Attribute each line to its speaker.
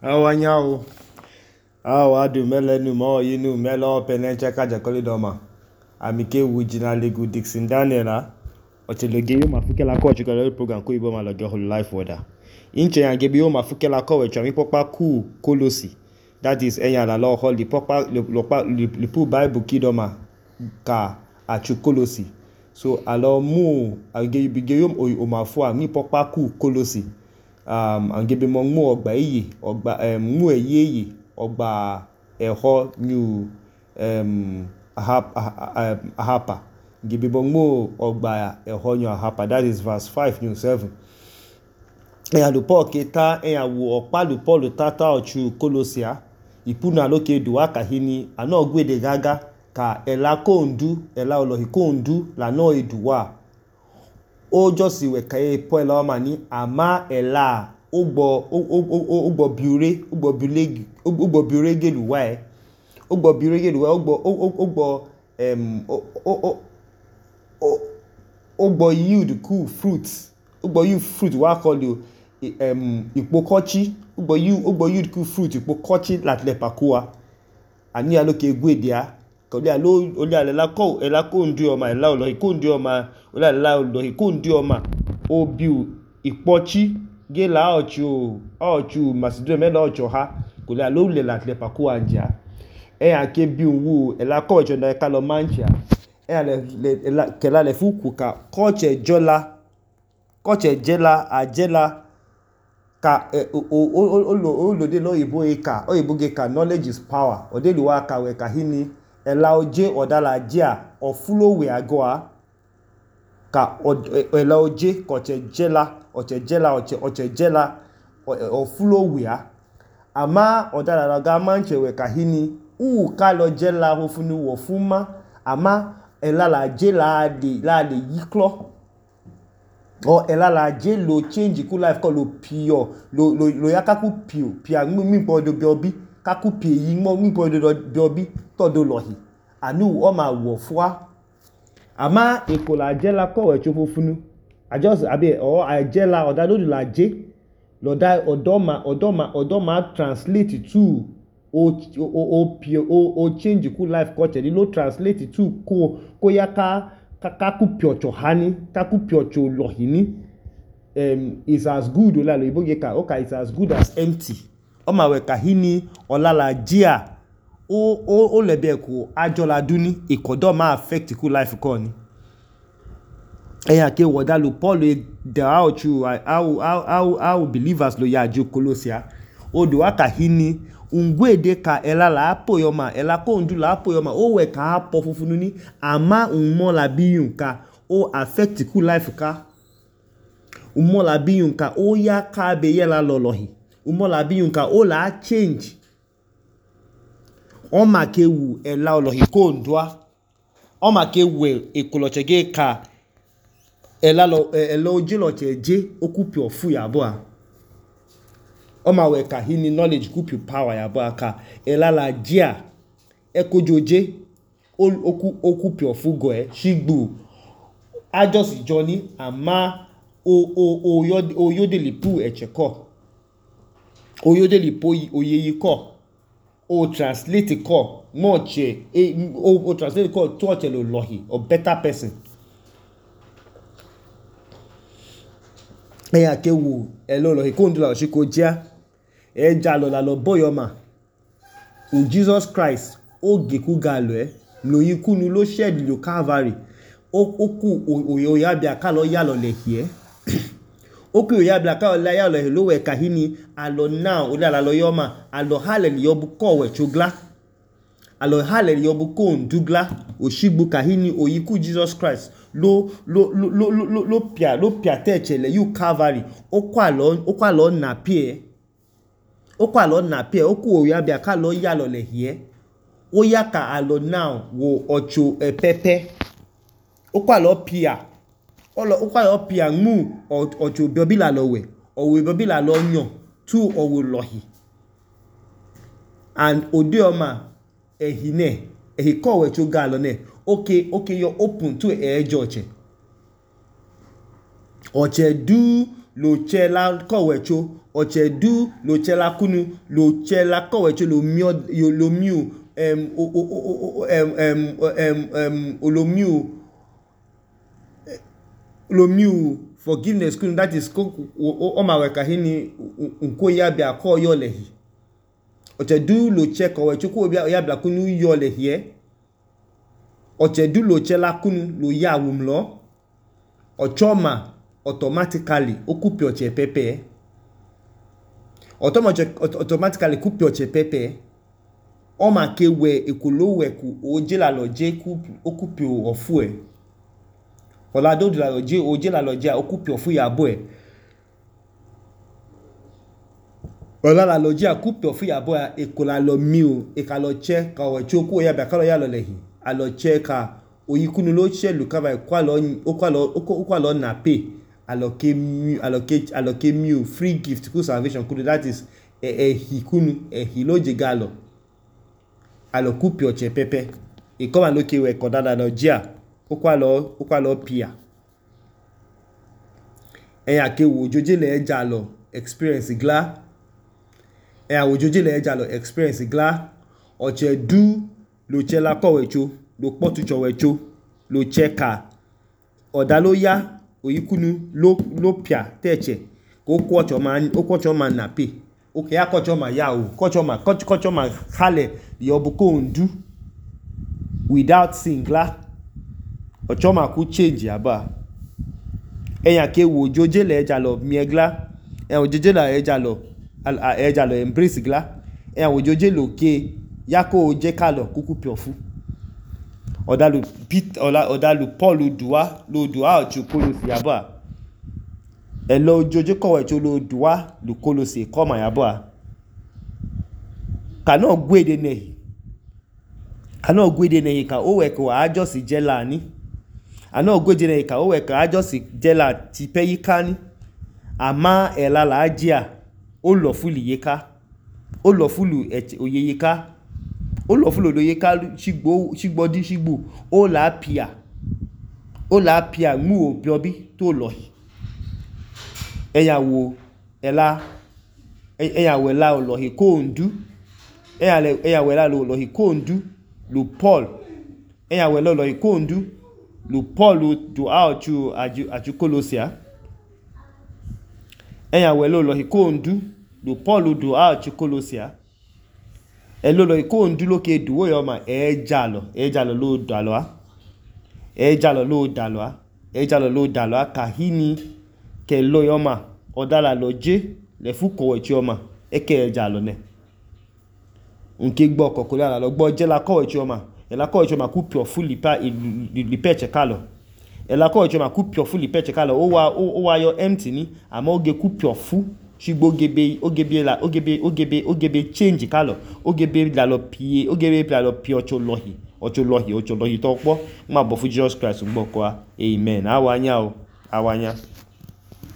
Speaker 1: Awanyao. Awadu melenu mo yinu melo penenche kajakoli doma. Amike wujina legu Dixon Daniela. Ocheloge yo mafukela ko chikolo program ko ibo maloge whole life order. Inche yangebi yo mafukela ko wecho mi popa ku kolosi. That is enya la lo holi popa lipu Bible kidoma ka achu kolosi. So alo mu agebe yo omafua mi popa ku kolosi. Angebe mo mu ogba iye ogba mu eyeye ogba eho new ahapa ngebe mo mu ogba eho new ahapa. That is verse 5 new 7. Eya lu Paul keta eya wo opa lu Paul tata ochu kolosia ipuna loke duwa kahini ano gwede gaga ka ela kondu ela olohi kondu la no eduwa o josi we kaye po ela mani ama ela ugbo biure gelu wa ugbo yield cool fruits ugbo yield fruit wa call you ipokochi ugbo yield cool fruit ipokochi latle pakua ani aloke gwedia kodi alo oli alela ko ela ko ndu oma ela olohi ko ndu oma oli alela olohi ko ndu oma obiu ipochi gela ochu Macedonia melo ocho ha kodi alo le latle pakua anja ke biu wu ela ko ocho na kalo mancha le kela le fuku ka koche jela ajela ka olode lo oyibo ge ka knowledge is power odelu wa ka we kahini ela oje odala jia ofulowe agoa ka ela oje koche jela ofulowe a ama odala la ga manche we kahini ka lo jela hofunu wo fuma ama ela la je la de yiklo o ela la je lo change ku life ko lo pio lo ya kaku pia mi podo biobi kaku pie yi mo mi podo biobi todo lohi anu o ma wo fua ama ekola je la ko we chofofunu ajos abi o ajela odalo la je lo da odoma translate to o change ku life culture lo translate to ko ya kaku piocho hani kaku piocho lohini is as good ola lo ibo geka okay is as good as empty o ma we kahini olala jia o lebe ko ajola duni ikodo ma affect ku life ko ni eya ke woda lu Paul the how believers lo ya ju kolosia odo akahini ungwede ka ela la apoyoma ela ko ndu la apoyoma o we ka apo fufunu ni ama unmo la biyun ka o affect ku life ka unmo la biyun ka o ya ka be yela lolohi unmo la biyun ka o la change o ma ke wu ela olohi ko ndua o ma ke we ekolochege ka ela oje lo cheje okupi ofu ya bo a o ma we ka hini knowledge kupi power ya bo aka ela la jia ekojoje okupi ofu go shigbu ajos journey ama oyodeli pu echeko oyodeli po oyeyi ko o translate ko moche o translate ko to chelo lohi a better person eya ke wu elo lohi ko ndula shiko jia eja lo la lo boyoma u Jesus Christ o geku galo lo yikunu lo shed lo Calvary oku oya bia ka lo ya lo le hie oku oya bia ka lo ya lo we kahini alo now o la lo yoma alo hallel yobu ko we chugla alo hallel yobu ko ndugla oshigbu kahini oyiku Jesus Christ lo pia techele you Calvary okwa lo na pie oku oya bia ka lo ya lo le hie o ya ka alo now wo ocho pepe okwa lo pia mu ocho biobi la lo we owe biobi la lo yan tu owo lohi and odeoma ehine ehiko we cho galo ne okay you're open to oche du lo che la ko we cho ọchedu lochela kunu lochela kọwecho lomiu forgiveness kunu, that is ọmawẹka hini nko ya bia kọ yọ lẹhi ọchedu loche kọwecho ko ya bia kunu yọ lẹhi ọchedu lochela kunu lo ya awumlọ ọchọma automatically okupi ọchẹ pepe automatically kupi ọchẹ pepe ọma ke wẹ ekoloweku ojelalọje okupi ọfu ẹ ọlado delalọje ojelalọje okupi ọfu yabọ ẹ ọlalalọje akupi ọfu yabọ ẹ ekolalọ miu ekalọche ka ọwẹcho ko ya bia kalọ ya lọ lẹhi alọche ka oyikunu lo chelu kaba okwalọ na pay aloke miu free gift ku salvation kunu, that is ehi kunu ehi loje galo alokupi ọchẹ pepe ikọma loke we kodada lọjia okwalọ pia ẹya ke wo ojoje le ẹja lọ experience gla ọchẹ du lochela kọwecho lo kpọtuchọwecho loche ka ọda lo ya oyikunu lo pia tẹẹchẹ ko kwọchọ ma na pe oke ya kọchọ ma ya o kọchọ ma halẹ yọbu ko ndu without singla ọchọ ma ku change aba ẹya ke wo ojoje le ẹja lọ miẹgla ẹya ojoje le ẹja lọ embrace gla ẹya ojoje lo ke ya ko oje kalọ kuku piofu ọdalu Paul lo dua ọchọ Kolosi yabọ ẹlọ ojoje kọwẹcho lo dua lu Kolosi kọma yabọ kanọ gwede nehi ka o wẹ ka ajọsi jẹla ni anọ gwede nehi ka o wẹ ka ajọsi jẹla tipẹ yika ni ama ẹla la ajia o lọ fulu yeka o lọ fulu oyeyeka o lọ fulu oyeyeka ṣigbọdi ṣigbo o la pia mu obiobi tó lọ ẹyàwó ẹla ọlọhi kóòndú ẹyàwó ẹla ọlọhi kóòndú lu Paul ẹyàwó ẹla ọlọhi kóòndú lu Paul dua ọchụ Kolosia ẹyàwó ẹla ọlọhi kóòndú lu Paul dua ọchụ Kolosia ẹla ọlọhi kóòndú lókè dúwó yọma ẹjalọ ló dalọ kahini kẹlọ yọma ọdala lọje lẹfu kọwẹchi ọma ẹkẹ ẹjalọ nẹ nke gbọ kọkọlẹ ala lọ gbọ jẹla kọwẹchi ọma ẹla kọwẹchi ọma kú pio fún lipẹ ẹchẹkalọ ẹla kọwẹchi ọma kú pio fún lipẹ ẹchẹkalọ ó wá yọ empty ni àmọ́ oge kú pio fún ṣùgbọ́ ogebe change kalọ ogebe lalọ pie ọchọ lọhi tó pọ̀ má bọ̀ fún Jesus Christ gbọ́ kọ́ amen awanya.